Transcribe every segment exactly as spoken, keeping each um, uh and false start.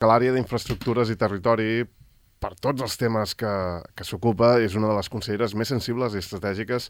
que l'àrea d'infraestructures i territori, per tots els temes que, que s'ocupa, és una de les conselleres més sensibles i estratègiques,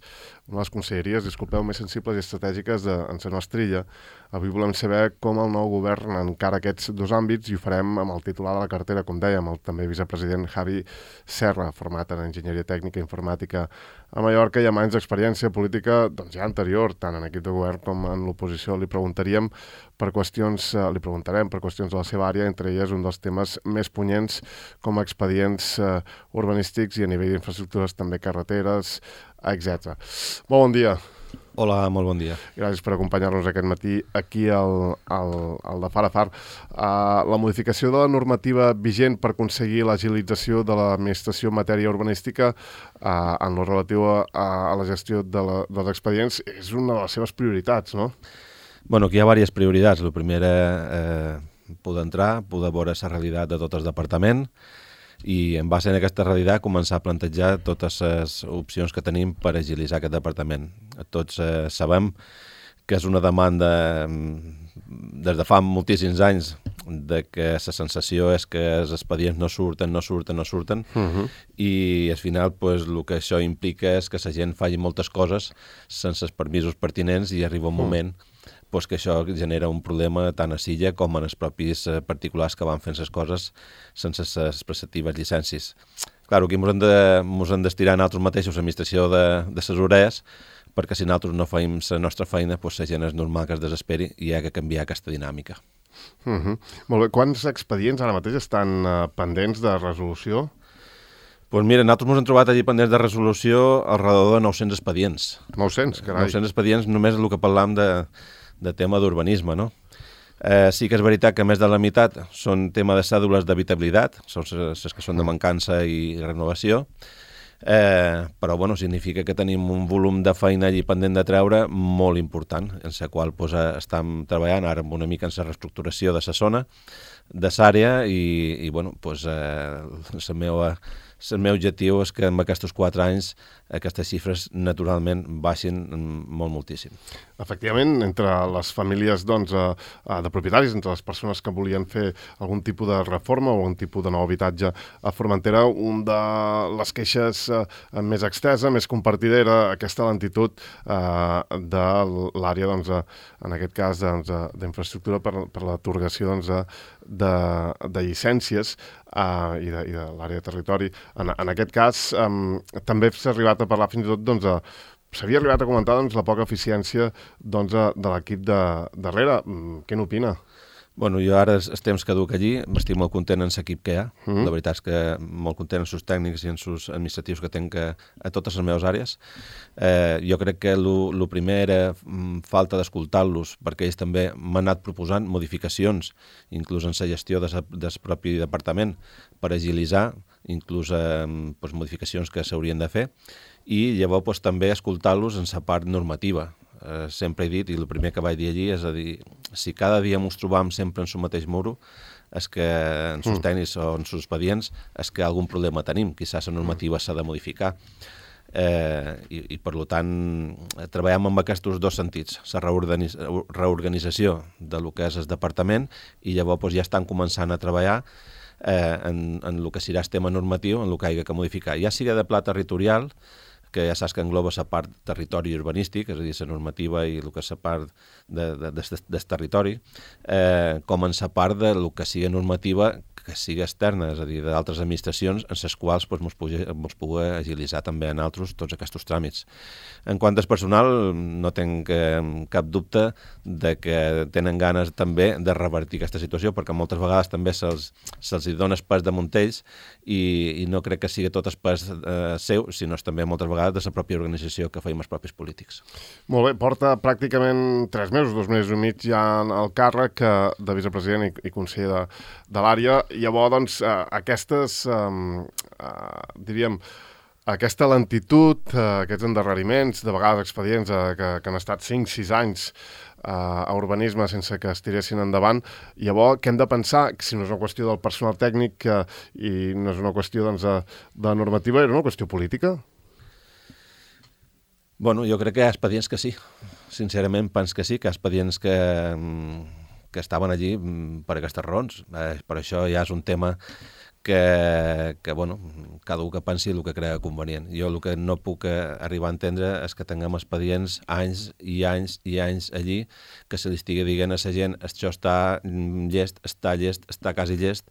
una de les conselleries, disculpeu, més sensibles i estratègiques de, en la nostra illa. Avui volem saber com el nou govern encara aquests dos àmbits i ho farem amb el titular de la cartera, com dèiem, el també vicepresident Javi Serra, format en Enginyeria Tècnica i Informàtica a Mallorca i amb anys d'experiència política doncs ja anterior, tant en equip de govern com en l'oposició. Li preguntaríem per qüestions, eh, li preguntarem per qüestions de la seva àrea, entre elles un dels temes més punyents com a expedients eh, urbanístics i a nivell d'infraestructures, també carreteres, etcètera. Molt bon dia. Hola, molt bon dia. Gràcies per acompanyar-nos aquest matí aquí al, al, al de Far a Far. Uh, la modificació de la normativa vigent per aconseguir l'agilització de l'administració en matèria urbanística uh, en lo relatiu a, a la gestió de la, dels expedients és una de les seves prioritats, no? Bueno, aquí hi ha diverses prioritats. La primera, eh, poder entrar, poder veure la realitat de tot el departament i en base a aquesta realitat començar a plantejar totes les opcions que tenim per agilitzar aquest departament. Tots eh, sabem que és una demanda des de fa moltíssims anys de que la sensació és que els expedients no surten, no surten, no surten Uh-huh. i al final pues, el que això implica és que la gent faci moltes coses sense els permisos pertinents i arriba un moment pues, que això genera un problema tant a Silla com en els propis eh, particulars que van fent les coses sense les respectives llicències. Clar, aquí ens hem de, mos hem d'estirar nosaltres mateixos l'administració de, de les orelles perquè si nosaltres no feim la nostra feina, pues, la gent és normal que es desesperi i hi ha que canviar aquesta dinàmica. Uh-huh. Molt bé. Quants expedients ara mateix estan uh, pendents de resolució? Pues mira, nosaltres ens hem trobat allí pendents de resolució al redador de nou-cents expedients. nou-cents, carai. nou-cents expedients només el que parlam de, de tema d'urbanisme, no? Eh, sí que és veritat que més de la meitat són tema de cèdules d'habitabilitat, són les que són de mancança i renovació, eh, però bueno, significa que tenim un volum de feina allí pendent de treure molt important, en la qual pues, estem treballant ara una mica en la reestructuració de la zona, de l'àrea i, i bueno, pues, eh, la meva... El meu objectiu és que en aquests quatre anys aquestes xifres naturalment baixin molt moltíssim. Efectivament, entre les famílies doncs, de propietaris, entre les persones que volien fer algun tipus de reforma o algun tipus de nou habitatge a Formentera, un de les queixes més extensa, més compartida, aquesta lentitud de l'àrea, doncs, en aquest cas, doncs, d'infraestructura per, per l'atorgació doncs, de, de llicències uh, i de, i de l'àrea de territori. En, en aquest cas, um, també s'ha arribat a parlar fins i tot, doncs, a, s'havia arribat a comentar doncs, la poca eficiència doncs, de l'equip de darrere. Què n'opina? Bueno, jo ara els temps que duc allí m'estic molt content en l'equip que hi ha. Mm. La veritat és que molt content en els tècnics i en els administratius que tinc a, a totes les meves àrees. Eh, jo crec que el primer era mm, falta d'escoltar-los, perquè ells també m'han anat proposant modificacions, inclús en la gestió de sa, del propi departament, per agilitzar, inclús eh, pues, modificacions que s'haurien de fer, i llavors pues, també escoltar-los en la part normativa. Uh, sempre he dit, i el primer que vaig dir allí és a dir, si cada dia ens trobam sempre en el mateix muro, és que en els tècnics o en els expedients és que algun problema tenim, quizás la normativa s'ha de modificar. Eh, i, i per tant treballem amb aquests dos sentits, la reorganiz reorganització de lo que és el departament i llavors pues, ja estan començant a treballar eh, en, en el que serà el tema normatiu, en el que hi ha que modificar, ja sigui de pla territorial, que ja saps que engloba la part territori urbanístic, és a dir, la normativa i el que és la part de, de, de, del territori, eh, com en la part de lo que sigui normativa que sigui externa, és a dir, d'altres administracions en les quals pues, mos pugui, mos pugui agilitzar també en altres tots aquests tràmits. En quant al personal, no tinc eh, cap dubte de que tenen ganes també de revertir aquesta situació, perquè moltes vegades també se'ls se dona el pes de Montells i, i no crec que sigui tot el pes eh, seu, sinó també moltes vegades de la pròpia organització que feim els propis polítics. Molt bé, porta pràcticament tres mesos, dos mesos i mig ja al càrrec de vicepresident i, i conseller de, de l'àrea. Llavors, doncs, eh, aquestes, eh, eh, diríem, aquesta lentitud, eh, aquests endarreriments, de vegades expedients eh, que, que han estat cinc sis anys eh, a urbanisme sense que es tiressin endavant, llavors què hem de pensar? Si no és una qüestió del personal tècnic eh, i no és una qüestió doncs, de, de normativa, era una qüestió política? Bueno, jo crec que hi ha expedients que sí. Sincerament, penso que sí, que hi ha expedients que, que estaven allí per aquestes raons. Eh, per això ja és un tema que, que bueno, cada un que pensi el que crea convenient. Jo el que no puc arribar a entendre és que tinguem expedients anys i anys i anys allí, que se li estigui dient a la gent això està llest, està llest, està quasi llest,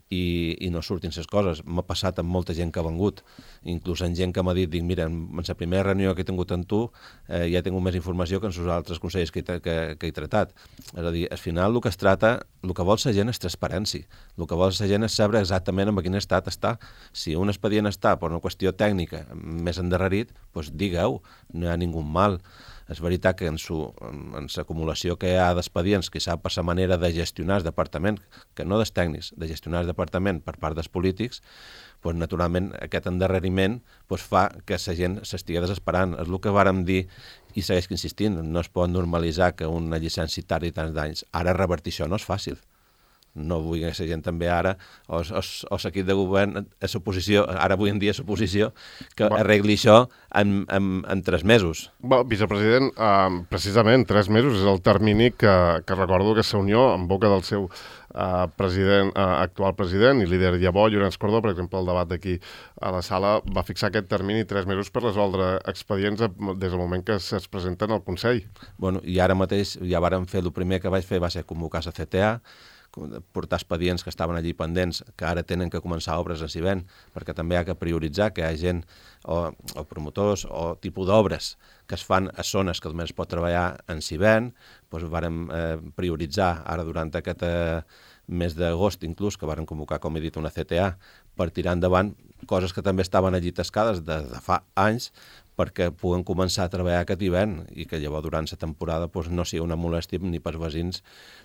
i, i no surtin les coses. M'ha passat amb molta gent que ha vengut, inclús amb gent que m'ha dit, dic, mira, en la primera reunió que he tingut amb tu eh, ja he tingut més informació que en els altres consellers que he, que, que he tratat. És a dir, al final el que es trata, el que vol la gent és transparència, el que vol la gent és saber exactament en quin estat està. Si un expedient està per una qüestió tècnica més endarrerit, doncs digue-ho, no hi ha ningú mal. És veritat que en l'acumulació que hi ha d'expedients, que sap per la manera de gestionar el departament, que no dels tècnics, de gestionar el departament per part dels polítics, doncs, naturalment aquest endarreriment doncs, fa que la gent s'estigui desesperant. És el que vàrem dir i segueix insistint. No es pot normalitzar que una llicència tardi tants d'anys. Ara revertir això no és fàcil. No vull que la gent també ara, o, o, o l'equip de govern, a l'oposició, ara avui en dia a l'oposició, que Va. arregli això en, en, en tres mesos. Va, vicepresident, eh, precisament tres mesos és el termini que, que recordo que la Unió, en boca del seu eh, president, eh, actual president i líder llavors, Llorenç Cordó, per exemple, el debat d'aquí a la sala, va fixar aquest termini tres mesos per resoldre expedients des del moment que es presenten al Consell. Bueno, i ara mateix ja vàrem fer, el primer que vaig fer va ser convocar la C T A, portar expedients que estaven allí pendents, que ara tenen que començar obres en Civent, perquè també hi ha que prioritzar que hi ha gent o, o promotors o tipus d'obres que es fan a zones que només es pot treballar en Civent, doncs vàrem eh, prioritzar ara durant aquest eh, mes d'agost inclús, que vàrem convocar, com he dit, una C T A, per tirar endavant coses que també estaven allí tascades des de fa anys, perquè puguen començar a treballar aquest hivern i que llavors durant la temporada doncs, no sigui una molèstia ni pels veïns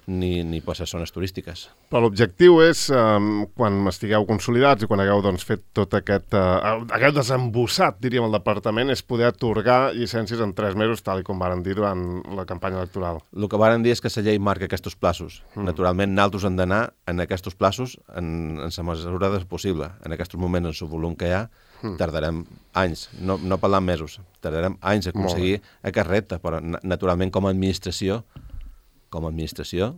ni, ni per les zones turístiques. Però l'objectiu és, eh, quan estigueu consolidats i quan hagueu doncs, fet tot aquest, eh, hagueu desembossat, diríem, el departament, és poder atorgar llicències en tres mesos, tal com varen dir durant la campanya electoral. El que varen dir és que la llei marca aquests plaços. Mm. Naturalment, nosaltres hem d'anar en aquests plaços en, en la mesura possible. En aquests moments, en el volum que hi ha, mm. tardarem anys, no, no parlant mesos, tardarem anys a aconseguir aquest repte, però naturalment com a administració, com a administració,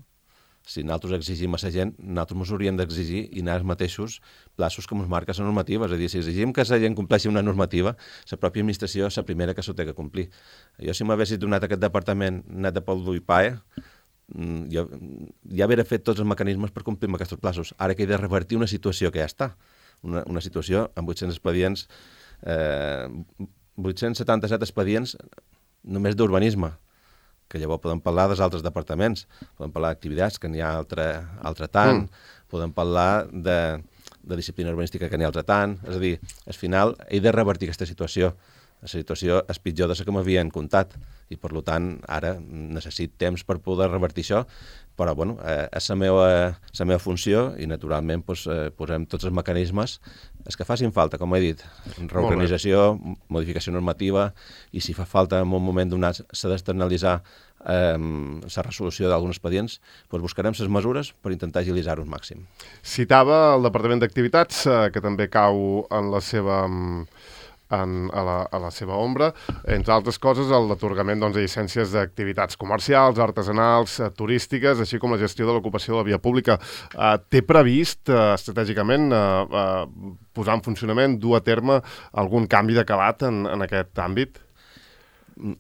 si nosaltres exigim a la gent, nosaltres ens hauríem d'exigir i anar als mateixos plaços que ens marca la normativa. És a dir, si exigim que la gent compleixi una normativa, la pròpia administració és la primera que s'ho té que complir. Jo, si m'haguessis donat aquest departament net de pel d'ull paia, jo ja hauria fet tots els mecanismes per complir amb aquests plaços. Ara que he de revertir una situació que ja està. Una, una situació amb vuit-cents expedients, eh, vuit-cents setanta-set expedients només d'urbanisme, que llavors podem parlar dels altres departaments, podem parlar d'activitats, que n'hi ha altre, altre tant, mm. podem parlar de, de disciplina urbanística, que n'hi ha altre tant, és a dir, al final he de revertir aquesta situació. La situació és pitjor de la que m'havien comptat i, per tant, ara necessit temps per poder revertir això, però, bueno, eh, és la meva, la meva funció i, naturalment, doncs, eh, posem tots els mecanismes els que facin falta, com he dit, reorganització, modificació normativa, i si fa falta en un moment donat s'ha d'externalitzar eh, la resolució d'alguns expedients, doncs buscarem les mesures per intentar agilitzar-ho al màxim. Citava el Departament d'Activitats, eh, que també cau en la seva... En, a, la, a la seva ombra, entre altres coses, l'atorgament doncs, de llicències d'activitats comercials, artesanals, eh, turístiques, així com la gestió de l'ocupació de la via pública. Eh, té previst, eh, estratègicament, eh, eh, posar en funcionament, dur a terme algun canvi de calat en, en aquest àmbit?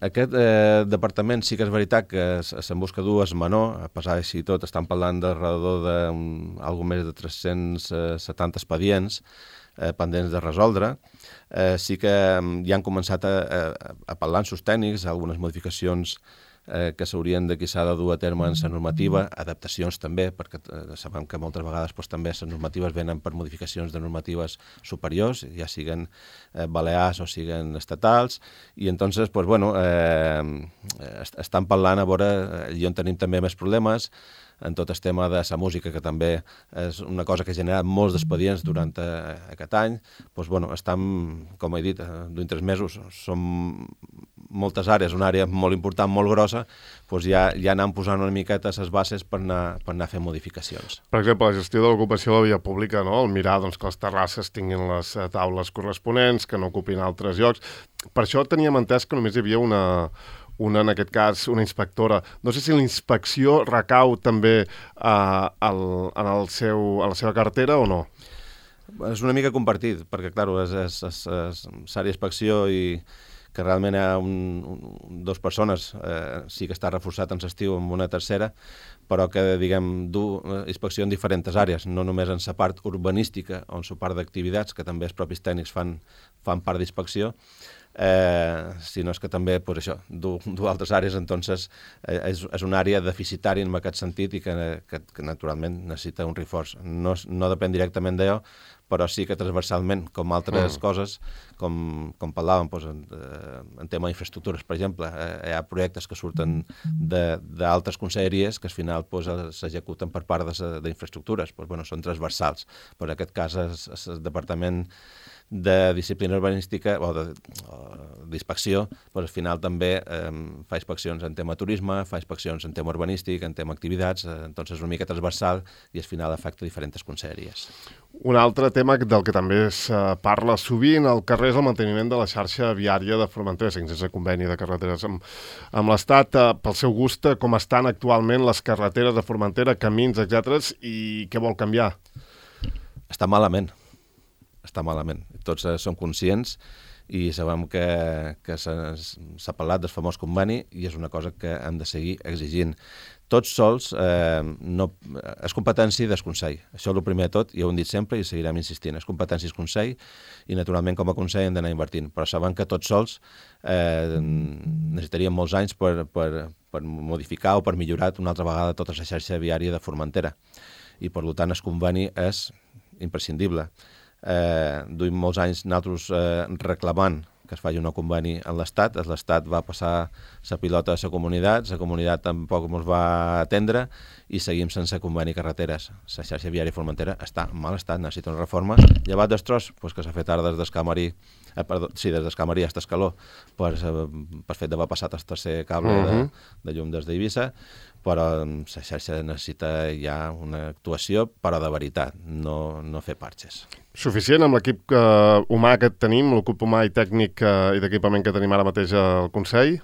Aquest eh, departament sí que és veritat que se'n busca dur, és menor, a pesar d'així tot, estan parlant d'alrededor d'algú més de tres-cents setanta expedients eh, pendents de resoldre. Eh, sí que ja han començat a, a, a parlar amb els tècnics, algunes modificacions eh, que s'haurien de s'ha de dur a terme en la normativa, adaptacions també, perquè eh, sabem que moltes vegades doncs, també les normatives venen per modificacions de normatives superiors, ja siguen eh, balears o siguen estatals, i entonces, pues, bueno, eh, est estan parlant a veure allà on tenim també més problemes, en tot el tema de la música, que també és una cosa que ha generat molts d'expedients durant eh, aquest any. Doncs, bueno, estan, com he dit, d'un tres mesos, són moltes àrees, una àrea molt important, molt grossa, doncs ja, ja anem posant una miqueta les bases per anar, per anar fent modificacions. Per exemple, la gestió de l'ocupació de la via pública, no? El mirar doncs, que les terrasses tinguin les taules corresponents, que no ocupin altres llocs. Per això teníem entès que només hi havia una... una, en aquest cas, una inspectora. No sé si la inspecció recau també uh, el, en, el seu, en la seva cartera o no? És una mica compartit, perquè, clar, és, és, és, és s'àrea d'inspecció i que realment hi ha un, un, dues persones, eh, sí que està reforçat en l'estiu amb una tercera, però que, diguem, du inspecció en diferents àrees, no només en la part urbanística o en la part d'activitats, que també els propis tècnics fan, fan part d'inspecció, eh, sinó és que també, pues, això, du, du altres àrees, entonces eh, és, és una àrea deficitària en aquest sentit i que, que, que naturalment necessita un reforç. No, no depèn directament d'allò, però sí que transversalment, com altres mm. coses, com, com parlàvem doncs, en, en tema d'infraestructures, per exemple, eh, hi ha projectes que surten d'altres conselleries que al final s'executen per part d'infraestructures, doncs, bueno, són transversals, però en aquest cas és, és el Departament de Disciplina Urbanística o d'inspecció, doncs al final també eh, fa inspeccions en tema turisme, fa inspeccions en tema urbanístic, en tema activitats, eh, doncs és una mica transversal i al final afecta diferents conselleries. Un altre tema del que també es uh, parla sovint al carrer és el manteniment de la xarxa viària de Formentera, sense conveni de carreteres amb, amb l'Estat, uh, pel seu gust, com estan actualment les carreteres de Formentera, camins, etcètera, i què vol canviar? Està malament. Està malament. Tots eh, som conscients i sabem que, que s'ha parlat del famós conveni i és una cosa que hem de seguir exigint. Tots sols eh, no, és competència del Consell. Això és el primer de tot i ho hem dit sempre i seguirem insistint. És competència del Consell i naturalment com a Consell hem d'anar invertint. Però sabem que tots sols eh, necessitaríem molts anys per, per, per modificar o per millorar una altra vegada tota la xarxa viària de Formentera. I per tant el conveni és imprescindible. Eh, duim molts anys nosaltres eh, reclamant que es faci un conveni en l'Estat. L'Estat va passar la pilota a la comunitat, la comunitat tampoc ens va atendre i seguim sense conveni carreteres. La xarxa viària Formentera està en mal estat, necessita una reforma. Llevat d'estros, pues, que s'ha fet ara des d'Escamarí, eh, perdó, sí, des d'Escamarí fins Escaló, per, per fet d'haver passat el tercer cable uh -huh. de, de llum des d'Eivissa, però la xarxa necessita ja una actuació, però de veritat, no, no fer parxes. Suficient amb l'equip uh, humà que tenim, l'equip humà i tècnic uh, i d'equipament que tenim ara mateix al Consell?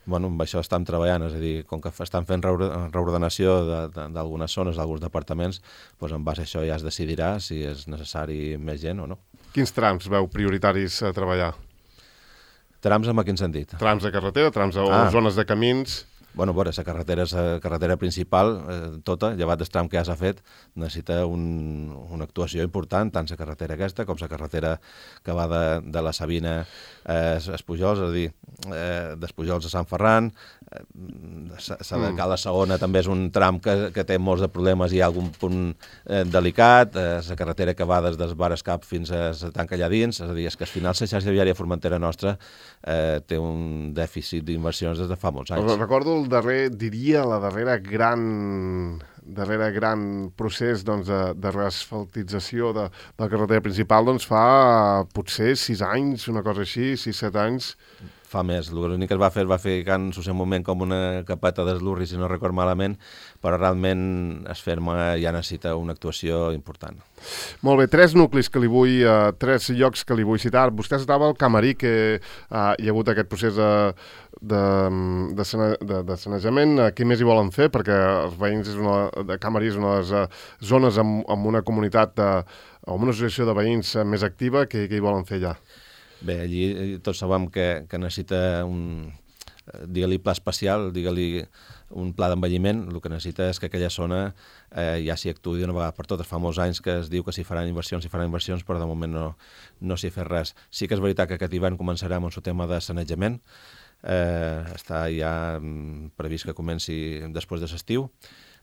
Bueno, amb això estem treballant, és a dir, com que estan fent reordenació d'algunes zones, d'alguns departaments, doncs en base a això ja es decidirà si és necessari més gent o no. Quins trams veu prioritaris a treballar? Trams en quin sentit? Trams de carretera, trams o ah. zones de camins... Bueno, bueno, la carretera és la carretera principal, eh, tota, llevat del tram que ja s'ha fet, necessita un, una actuació important, tant la carretera aquesta com la carretera que va de, de la Sabina a eh, Espujols, és a dir, eh, d'Espujols a Sant Ferran, eh, la de Cala Segona també és un tram que, que té molts de problemes i hi ha algun punt eh, delicat, eh, la carretera que va des del Bar Escap fins a la tanca allà dins, és a dir, és que al final la xarxa viària Formentera nostra eh, té un dèficit d'inversions des de fa molts anys. Recordo el darrer, diria, la darrera gran, darrera gran procés doncs, de, de reasfaltització de, de la carretera principal doncs, fa potser sis anys, una cosa així, sis, set anys. Fa més. L'únic que es va fer es va fer en el seu moment com una capeta d'eslurri, si no record malament, però realment es ferma ja necessita una actuació important. Molt bé, tres nuclis que li vull, uh, tres llocs que li vull citar. Vostè estava al Camarí, que uh, hi ha hagut aquest procés de, de, de, sane, de, de sanejament. Uh, què més hi volen fer? Perquè els veïns és una, de Camarí és una de les uh, zones amb, amb una comunitat uh, o amb una associació de veïns uh, més activa. Què, què hi volen fer allà? Bé, allí tots sabem que, que necessita un, digue-li pla especial, digue-li un pla d'envelliment. El que necessita és que aquella zona eh, ja s'hi actuï d'una vegada per totes. Fa molts anys que es diu que s'hi faran inversions, s'hi faran inversions, però de moment no, no s'hi ha fet res. Sí que és veritat que aquest hivern començarem amb el tema de sanejament. Eh, està ja previst que comenci després de l'estiu.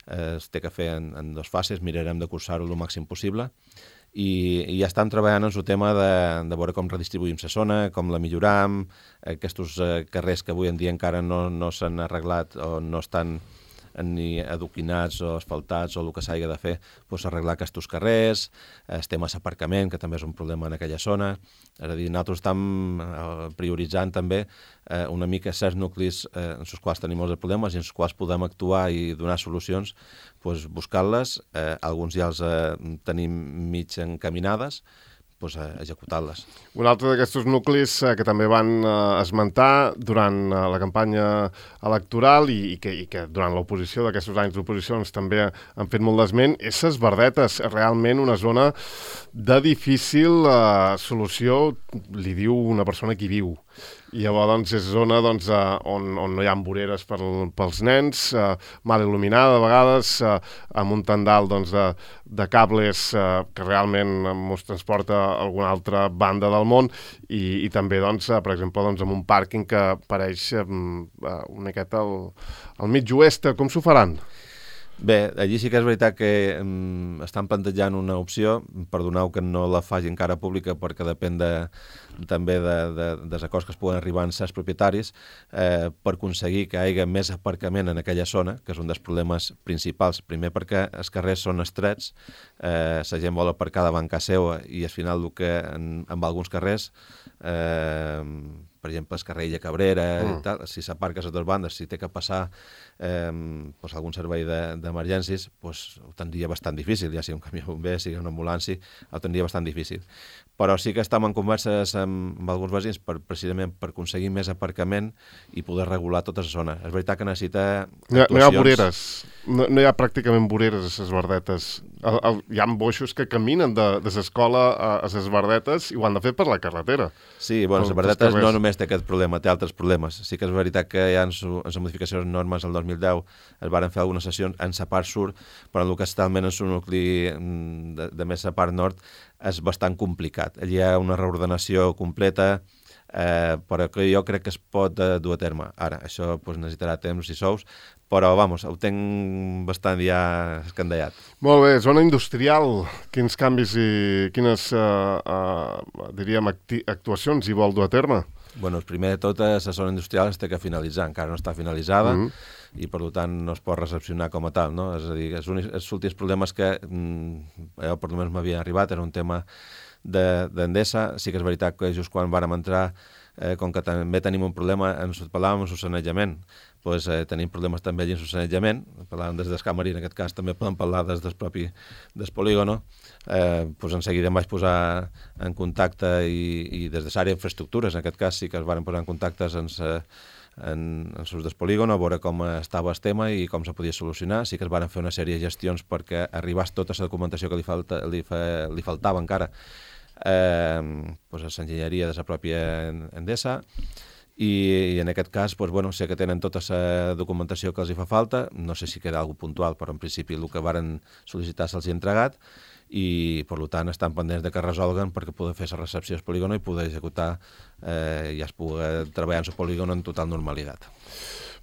Eh, es té que fer en, en dues fases, mirarem de cursar-ho el màxim possible. I, i ja estem treballant en el tema de, de veure com redistribuïm la zona, com la milloram, aquests eh, carrers que avui en dia encara no, no s'han arreglat o no estan ni adoquinats o asfaltats o el que s'hagi de fer, doncs arreglar aquests carrers, el tema d'aparcament, que també és un problema en aquella zona. És a dir, nosaltres estem eh, prioritzant també eh, una mica certs nuclis eh, en els quals tenim molts problemes i en els quals podem actuar i donar solucions, doncs buscar-les. Eh, alguns ja els eh, tenim mig encaminades, pues, executant-les. Un altre d'aquests nuclis eh, que també van eh, esmentar durant eh, la campanya electoral i, i, que, i que durant l'oposició, d'aquests anys d'oposició, també han fet molt d'esment, és Ses Verdetes, realment una zona de difícil eh, solució, li diu una persona que hi viu. I llavors doncs, és zona doncs, uh, on, on no hi ha voreres per, pels nens, uh, mal il·luminada a vegades, uh, amb un tendal doncs, de, de cables uh, que realment ens transporta a alguna altra banda del món i, i també, doncs, uh, per exemple, doncs, amb un pàrquing que pareix um, uh, una miqueta al, al mig oest. Com s'ho faran? Bé, allí sí que és veritat que um, estan plantejant una opció, perdoneu que no la faci encara pública perquè depèn de, també de, de, dels acords que es puguen arribar en certs propietaris, eh, per aconseguir que hi hagi més aparcament en aquella zona, que és un dels problemes principals. Primer perquè els carrers són estrets, eh, la gent vol aparcar davant casa seva i al final el que en, en alguns carrers, eh, per exemple, el carrer Illa Cabrera, mm. i tal, si s'aparca a les dues bandes, si té que passar eh, pues, algun servei d'emergències, de, pues, ho tindria bastant difícil, ja sigui un camió bomber, sigui una ambulància, ho tindria bastant difícil. Però sí que estem en converses amb, amb alguns veïns per, precisament per aconseguir més aparcament i poder regular tota la zona. És veritat que necessita actuacions... No, no hi ha voreres, no, no hi ha pràcticament voreres a Ses Verdetes. El, el, hi ha boixos que caminen de, de l'escola a, a Ses Verdetes i ho han de fer per la carretera. Sí, bueno, Ses Verdetes no només té aquest problema, té altres problemes. Sí que és veritat que ja en, su, en les modificacions normes del dos mil deu es van fer algunes sessions en la part sud, però en el que està almenys en su nucli de, de més la part nord és bastant complicat. Allí hi ha una reordenació completa, eh, però que jo crec que es pot eh, dur a terme. Ara, això pues, necessitarà temps i sous, però, vamos, ho tinc bastant ja escandallat. Molt bé, zona industrial, quins canvis i quines, uh, uh, diríem, acti actuacions hi vol dur a terme? Bueno, primer de tot, la zona industrial es té que finalitzar, encara no està finalitzada, mm-hmm. i per tant no es pot recepcionar com a tal, no? És a dir, els, únics, els últims problemes que mm, jo per almenys m'havien arribat era un tema d'Endesa. De, sí que és veritat que just quan vàrem entrar, eh, com que també tenim un problema, ens parlàvem amb el sanejament, pues, eh, tenim problemes també allà en el sanejament, parlàvem des d'Escamarí, en aquest cas també podem parlar des del propi des polígono, eh, pues en seguida em vaig posar en contacte i, i des de l'àrea d'infraestructures, en aquest cas sí que es van posar en contactes en sa, en, en sus del polígon, a veure com estava el tema i com se podia solucionar. Sí que es van fer una sèrie de gestions perquè arribés tota la documentació que li, falta, li, fa, li faltava encara eh, pues a l'enginyeria de la pròpia Endesa, i, i en aquest cas pues, bueno, sé que tenen tota la documentació que els hi fa falta, no sé si queda alguna puntual, però en principi el que varen sol·licitar se'ls hi ha entregat, i per tant estan pendents de que resolguen perquè poder fer la recepció del polígon i poder executar eh, i es pugui treballar en el polígon en total normalitat.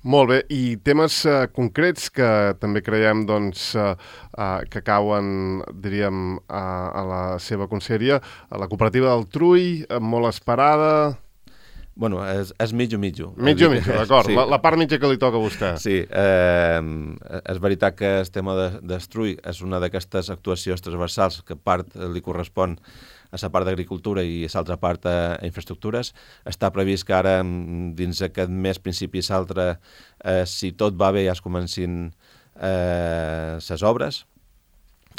Molt bé, i temes eh, concrets que també creiem doncs, eh, eh, que cauen, diríem, a, a la seva conselleria, a la cooperativa del Trull, eh, molt esperada... Bueno, és, és mitjo mitjo. Mitjo mitjo, d'acord. Sí. La, la part mitja que li toca a vostè. Sí, eh, és veritat que el tema de, d'Estrull és una d'aquestes actuacions transversals que part li correspon a la part d'agricultura i a l'altra part a infraestructures. Està previst que ara, dins aquest mes, principi i l'altre, eh, si tot va bé, ja es comencin les eh, obres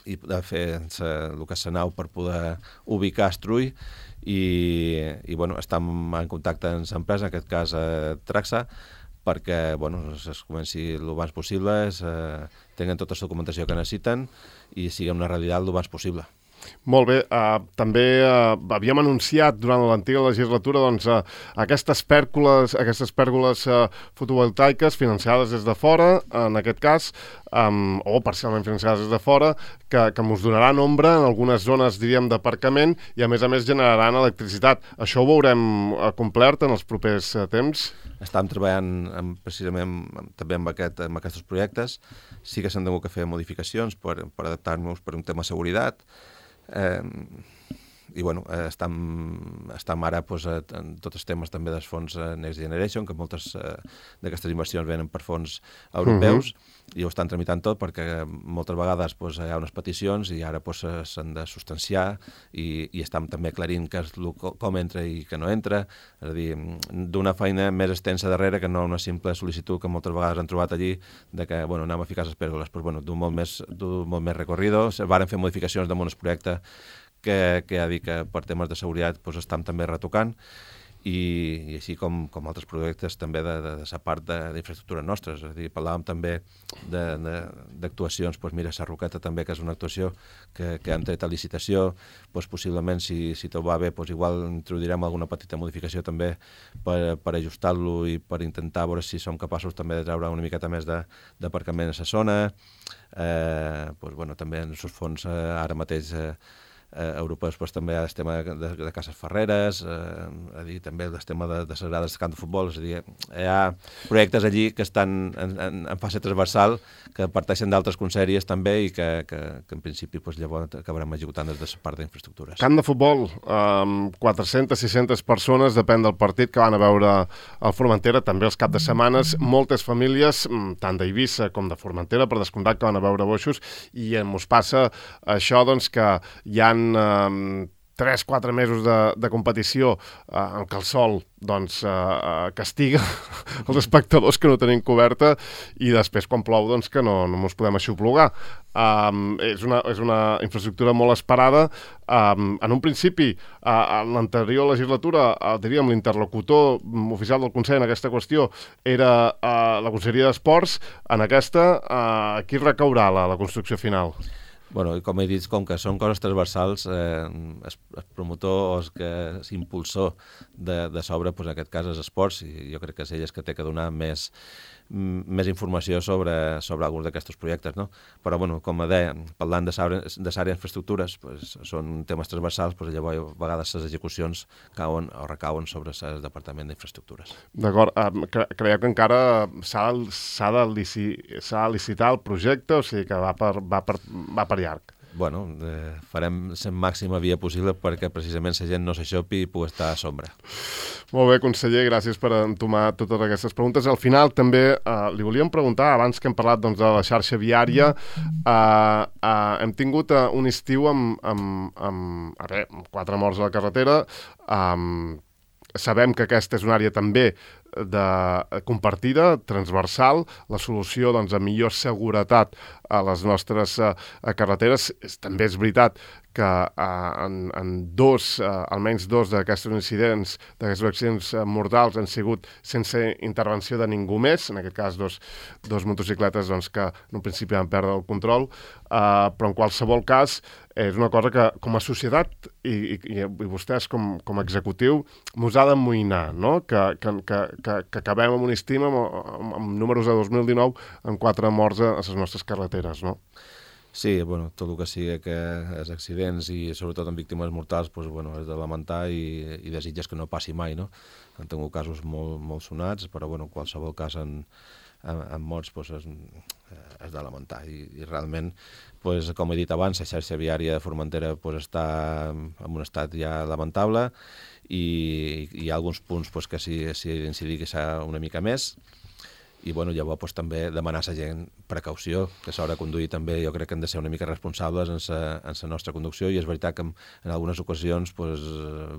i de fer sa, el que és la nau per poder ubicar Estrull. I, i bueno, estem en contacte amb l'empresa, en aquest cas eh, Traxa, perquè bueno, es comenci el abans possible, es, eh, tenen tota la documentació que necessiten i sigui una realitat el abans possible. Molt bé, uh, també uh, havíem anunciat durant l'antiga legislatura doncs, uh, aquestes pèrgoles, aquestes pèrgoles uh, fotovoltaiques financiades des de fora, en aquest cas, um, o parcialment financiades des de fora, que, que ens donaran ombra en algunes zones, diríem, d'aparcament i a més a més generaran electricitat. Això ho veurem uh, complert en els propers uh, temps? Estem treballant amb, precisament amb, també amb, aquest, amb aquests projectes. Sí que s'han hagut de fer modificacions per, per adaptar-nos per un tema de seguretat. Eh, i bueno, eh, estem, estem ara pues, en tots els temes també dels fons Next Generation, que moltes eh, d'aquestes inversions venen per fons europeus, uh-huh. i ho estan tramitant tot perquè moltes vegades pues, hi ha unes peticions i ara pues, s'han de substanciar i, i estem també aclarint que és lo, com entra i que no entra, és a dir, d'una feina més extensa darrere que no una simple sol·licitud que moltes vegades han trobat allí de que bueno, anem a ficar les pèrgoles, però bueno, d'un molt més, d'un molt més recorrido. Varen fer modificacions damunt el projecte que, que ha dit que per temes de seguretat doncs, estem també retocant, i, i així com, com altres projectes també de, de, de la part d'infraestructures nostres. És a dir, parlàvem també d'actuacions, doncs mira, Sarroqueta també, que és una actuació que, que hem tret a licitació, doncs possiblement, si, si tot va bé, doncs igual introduirem alguna petita modificació també per, per ajustar-lo i per intentar veure si som capaços també de treure una miqueta més d'aparcament a la zona. Eh, doncs, bueno, també en els fons eh, ara mateix eh, Eh, europeus, doncs, també hi ha el tema de, de, de Cases Ferreres, eh, a dir, també el tema de, de les grades de camp de futbol, és a dir, hi ha projectes allí que estan en, en, en fase transversal, que parteixen d'altres conselleries també i que, que, que en principi doncs, llavors acabarem executant des de la part d'infraestructures. Camp de futbol, amb quatre-centes sis centes persones, depèn del partit que van a veure al Formentera, també els cap de setmanes, moltes famílies, tant d'Eivissa com de Formentera, per descomptat que van a veure boixos, i ens passa això doncs, que hi ha tres quatre mesos de, de competició eh, en què el sol doncs, eh, castiga els espectadors que no tenim coberta, i després quan plou doncs, que no, no ens podem aixoplugar. Um, és, una, és una infraestructura molt esperada. Um, en un principi, uh, en l'anterior legislatura, uh, diríem, l'interlocutor oficial del Consell en aquesta qüestió era uh, la Conselleria d'Esports. En aquesta, uh, qui recaurà la, la construcció final? Bueno, com he dit, com que són coses transversals, eh, el, el promotor o el que és impulsor de, de sobre, doncs en aquest cas és esports, i jo crec que és ell que té que donar més, més informació sobre, sobre alguns d'aquests projectes, no? Però, bueno, com deia, parlant de l'àrea d'infraestructures, doncs, són temes transversals, doncs llavors a vegades les execucions cauen o recauen sobre el Departament d'Infraestructures. D'acord. Um, cre creieu que encara s'ha de, lici de licitar el projecte, o sigui que va per, va per, va per llarg? Bueno, eh, farem la màxima via possible perquè precisament la gent no s'aixopi i pugui estar a sombra. Molt bé, conseller, gràcies per entomar totes aquestes preguntes. Al final també eh, li volíem preguntar, abans que hem parlat doncs, de la xarxa viària, eh, eh, hem tingut eh, un estiu amb, amb, amb, a veure, quatre morts a la carretera. Eh, sabem que aquesta és una àrea també de compartida, transversal. La solució doncs, a millor seguretat a les nostres uh, carreteres. És, també és veritat que uh, en, en dos, uh, almenys dos d'aquests incidents, d'aquests accidents uh, mortals han sigut sense intervenció de ningú més, en aquest cas dos, dos motocicletes doncs, que en un principi van perdre el control, uh, però en qualsevol cas és una cosa que com a societat i, i, i vostès com, com a executiu mos ha d'amoïnar, no? que, que, que, que, que acabem amb un estim amb, amb, amb números de dos mil dinou amb quatre morts a, a les nostres carreteres, no? Sí, bueno, tot el que sigui que els accidents i sobretot amb víctimes mortals doncs, bueno, és de lamentar i, i desitges que no passi mai, no? Han tingut casos molt, molt sonats, però bueno, qualsevol cas en, en, en morts doncs, és, és de lamentar i, i realment, doncs, com he dit abans, la xarxa viària de Formentera doncs, està en un estat ja lamentable i hi ha alguns punts doncs, que s'hi ha d'incidir que s'ha una mica més. I bueno, llavors pues, també demanar a la gent precaució, que s'haurà de conduir també, jo crec que hem de ser una mica responsables en la nostra conducció, i és veritat que en, en algunes ocasions pues,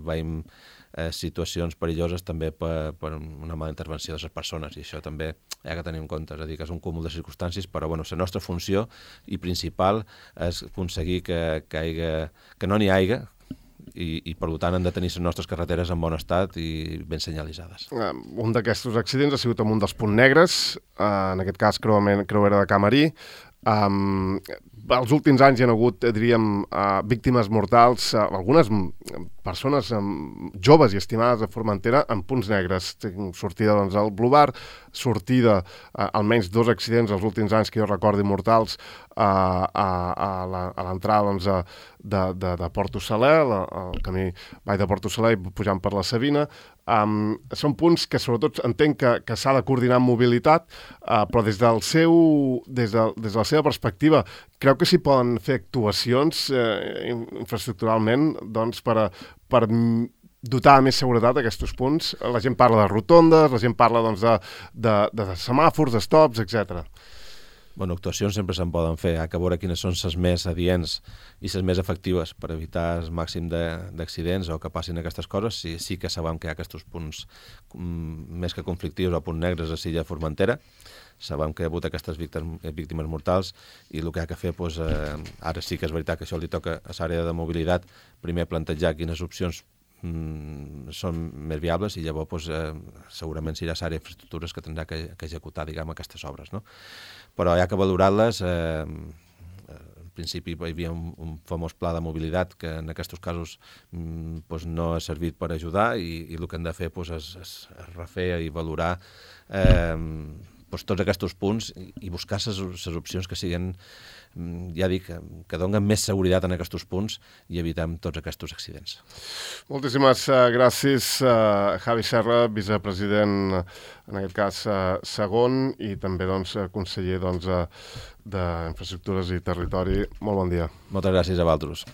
veiem eh, situacions perilloses també per, per una mala intervenció de les persones, i això també hi ha que tenir en compte, és a dir, que és un cúmul de circumstàncies, però bueno, la nostra funció i principal és aconseguir que, que, haiga, que no n'hi hagi, I, i per tant han de tenir les nostres carreteres en bon estat i ben senyalitzades. Uh, un d'aquests accidents ha sigut amb un dels punts negres, uh, en aquest cas creuament, creuera de Camarí. Um, els últims anys hi ha hagut, diríem, uh, víctimes mortals, uh, algunes persones um, joves i estimades de Formentera en punts negres. Sortida doncs, al Blue Bar, sortida, uh, almenys dos accidents els últims anys que jo recordi mortals, uh, a, a l'entrada doncs, de, de, de Porto Saler, el camí Vall de Porto Saler, pujant per la Sabina. Um, són punts que sobretot entenc que, que s'ha de coordinar amb mobilitat, uh, però des del seu, des de, des de la seva perspectiva, creu que s'hi poden fer actuacions eh, infraestructuralment doncs, per, a, per dotar més seguretat aquests punts? La gent parla de rotondes, la gent parla doncs, de, de, de semàfors, de stops, etcètera. Bueno, actuacions sempre se'n poden fer, hi ha que veure quines són les més adients i les més efectives per evitar el màxim d'accidents o que passin aquestes coses. Sí, sí que sabem que hi ha aquests punts mm, més que conflictius o punts negres a l'illa Formentera. Sabem que hi ha hagut aquestes víctimes, víctimes mortals i el que hi ha que fer, doncs, eh, ara sí que és veritat que això li toca a l'àrea de mobilitat, primer plantejar quines opcions mm, són més viables i llavors pues, eh, segurament serà l'àrea d'infraestructures que tindrà que, que executar diguem, aquestes obres. No? Però hi ha que valorar-les. Eh, en principi hi havia un, un famós pla de mobilitat que en aquests casos mm, pues, no ha servit per ajudar i, i el que hem de fer pues, és, és refer i valorar eh, pues, tots aquests punts i, i buscar les opcions que siguin, ja dic, que donen més seguretat en aquests punts i evitem tots aquests accidents. Moltíssimes uh, gràcies, uh, Javi Serra, vicepresident, en aquest cas, uh, segon, i també doncs, conseller doncs, uh, d'Infraestructures i Territori. Molt bon dia. Moltes gràcies a vosaltres.